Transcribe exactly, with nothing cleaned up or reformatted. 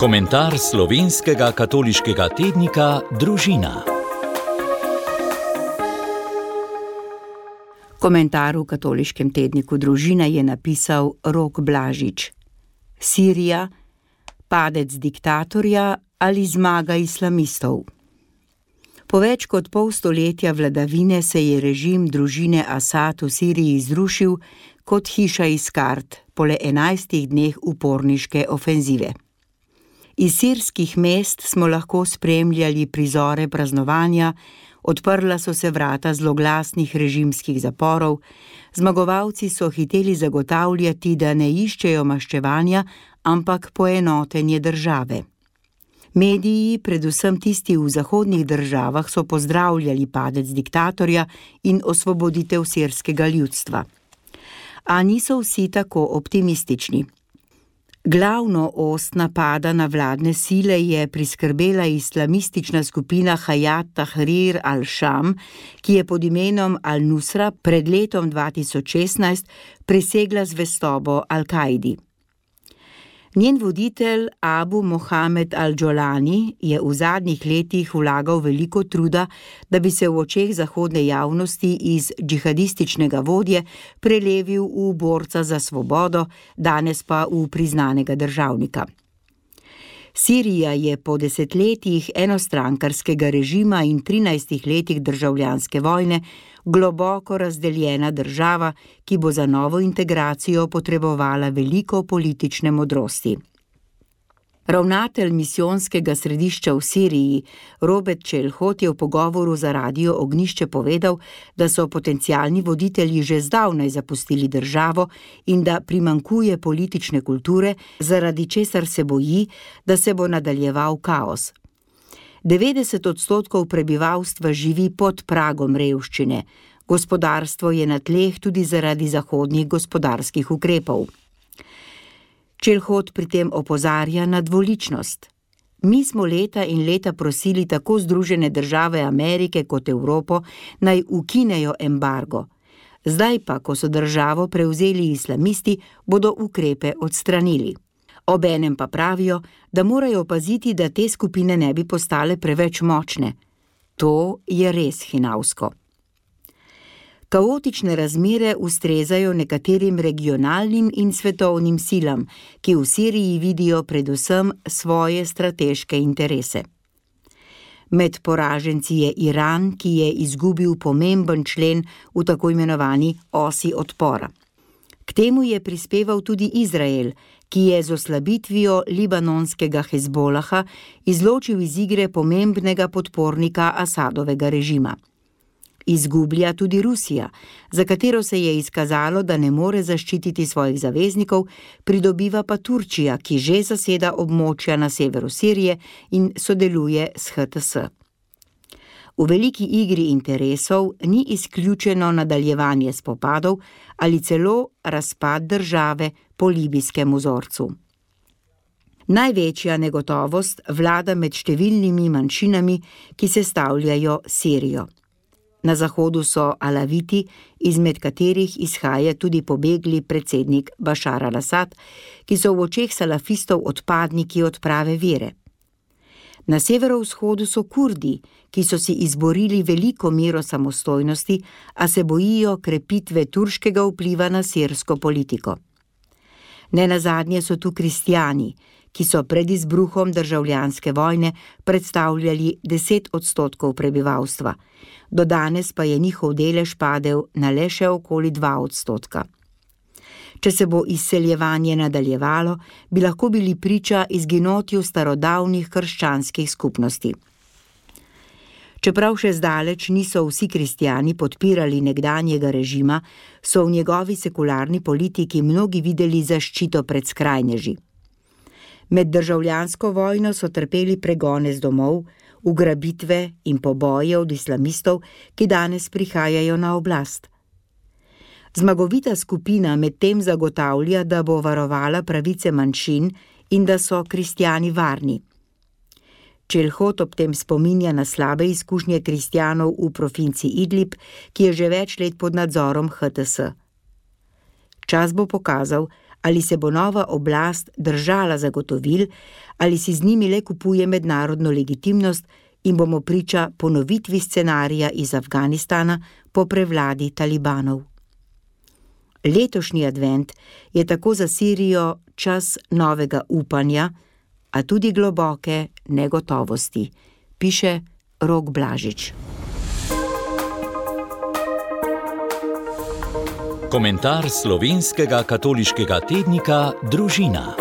Komentar slovenskega katoliškega tednika Družina. Komentar v katoliškem tedniku Družina je napisal Rok Blažič. Sirija, padec diktatorja ali zmaga islamistov? Po več kot pol stoletja vladavine se je režim družine Asad v Siriji zrušil kot hiša iz kart po le enajstih dneh uporniške ofenzive. Iz sirskih mest smo lahko spremljali prizore praznovanja, odprla so se vrata zloglasnih režimskih zaporov, zmagovalci so hiteli zagotavljati, da ne iščejo maščevanja, ampak poenotenje države. Mediji, predvsem tisti v zahodnih državah, so pozdravljali padec diktatorja in osvoboditev sirskega ljudstva. A niso vsi tako optimistični. Glavno ost napada na vladne sile je priskrbela islamistična skupina Hayat Tahrir al-Sham, ki je pod imenom Al-Nusra pred letom dva tisoč šestnajst prisegla zvestobo Al-Kaidi. Njen voditelj Abu Mohamed al-Jolani je v zadnjih letih vlagal veliko truda, da bi se v očeh zahodne javnosti iz džihadističnega vodje prelevil v borca za svobodo, danes pa v priznanega državnika. Sirija je po desetletjih enostrankarskega režima in trinajstih letih državljanske vojne globoko razdeljena država, ki bo za novo integracijo potrebovala veliko politične modrosti. Ravnatelj misijonskega središča v Siriji, Robert Čelhot, je v pogovoru za Radio Ognjišče povedal, da so potencialni voditelji že zdavnaj zapustili državo in da primanjkuje politične kulture, zaradi česar se boji, da se bo nadaljeval kaos. devetdeset odstotkov prebivalstva živi pod pragom revščine. Gospodarstvo je na tleh tudi zaradi zahodnih gospodarskih ukrepov. Čelhot pri tem opozarja na dvoličnost. Mi smo leta in leta prosili tako Združene države Amerike kot Evropo, naj ukinejo embargo. Zdaj pa, ko so državo prevzeli islamisti, bodo ukrepe odstranili. Obenem pa pravijo, da morajo paziti, da te skupine ne bi postale preveč močne. To je res hinavsko. Kaotične razmere ustrezajo nekaterim regionalnim in svetovnim silam, ki v Siriji vidijo predvsem svoje strateške interese. Med poraženci je Iran, ki je izgubil pomemben člen v tako imenovani osi odpora. K temu je prispeval tudi Izrael, ki je z oslabitvijo libanonskega Hezbolaha izločil iz igre pomembnega podpornika Asadovega režima. Izgublja tudi Rusija, za katero se je izkazalo, da ne more zaščititi svojih zaveznikov, pridobiva pa Turčija, ki že zaseda območja na severu Sirije in sodeluje s H T S. V veliki igri interesov ni izključeno nadaljevanje spopadov ali celo razpad države po libijskem vzorcu. Največja negotovost vlada med številnimi manjšinami, ki sestavljajo Sirijo. Na zahodu so Alaviti, izmed katerih izhaja tudi pobegli predsednik Bašar al-Asad, ki so v očeh salafistov odpadniki od prave vere. Na severovzhodu so Kurdi, ki so si izborili veliko mero samostojnosti, a se bojijo krepitve turškega vpliva na sirsko politiko. Nenazadnje so tu kristjani, ki so pred izbruhom državljanske vojne predstavljali deset odstotkov prebivalstva. Do danes pa je njihov delež padel na le še okoli dva odstotka. Če se bo izseljevanje nadaljevalo, bi lahko bili priča izginotju starodavnih krščanskih skupnosti. Čeprav še zdaleč niso vsi kristjani podpirali nekdanjega režima, so v njegovi sekularni politiki mnogi videli zaščito pred skrajneži. Med državljansko vojno so trpeli pregone z domov, ugrabitve in poboje od islamistov, ki danes prihajajo na oblast. Zmagovita skupina medtem zagotavlja, da bo varovala pravice manjšin in da so kristjani varni. Čelhot ob tem spominja na slabe izkušnje kristjanov v provinci Idlib, ki je že več let pod nadzorom H T S. Čas bo pokazal, Ali se bo nova oblast držala zagotovil, ali si z njimi le kupuje mednarodno legitimnost in bomo priča ponovitvi scenarija iz Afganistana po prevladi talibanov. Letošnji advent je tako za Sirijo čas novega upanja, a tudi globoke negotovosti, piše Rok Blažič. Komentar slovenskega katoliškega tednika Družina.